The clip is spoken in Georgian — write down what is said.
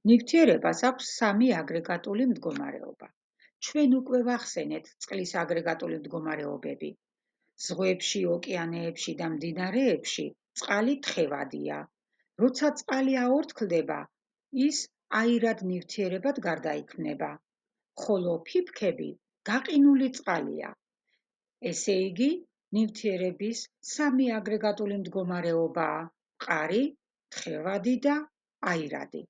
ნივთიერებას აქვს სამი აგრეგატული მდგომარეობა. ჩვენ უკვე ვახსენეთ წყლის აგრეგატული მდგომარეობები. ზღვებში, ოკეანეებში და მდინარეებში წყალი თხევადია. როცა წყალი აორთქლდება, ის აირად ნივთიერებად გარდაიქმნება, ხოლო ფიფქები გაყინული წყალია. ესე იგი, ნივთიერების სამი აგრეგატული მდგომარეობაა: მყარი, თხევადი და აირადი.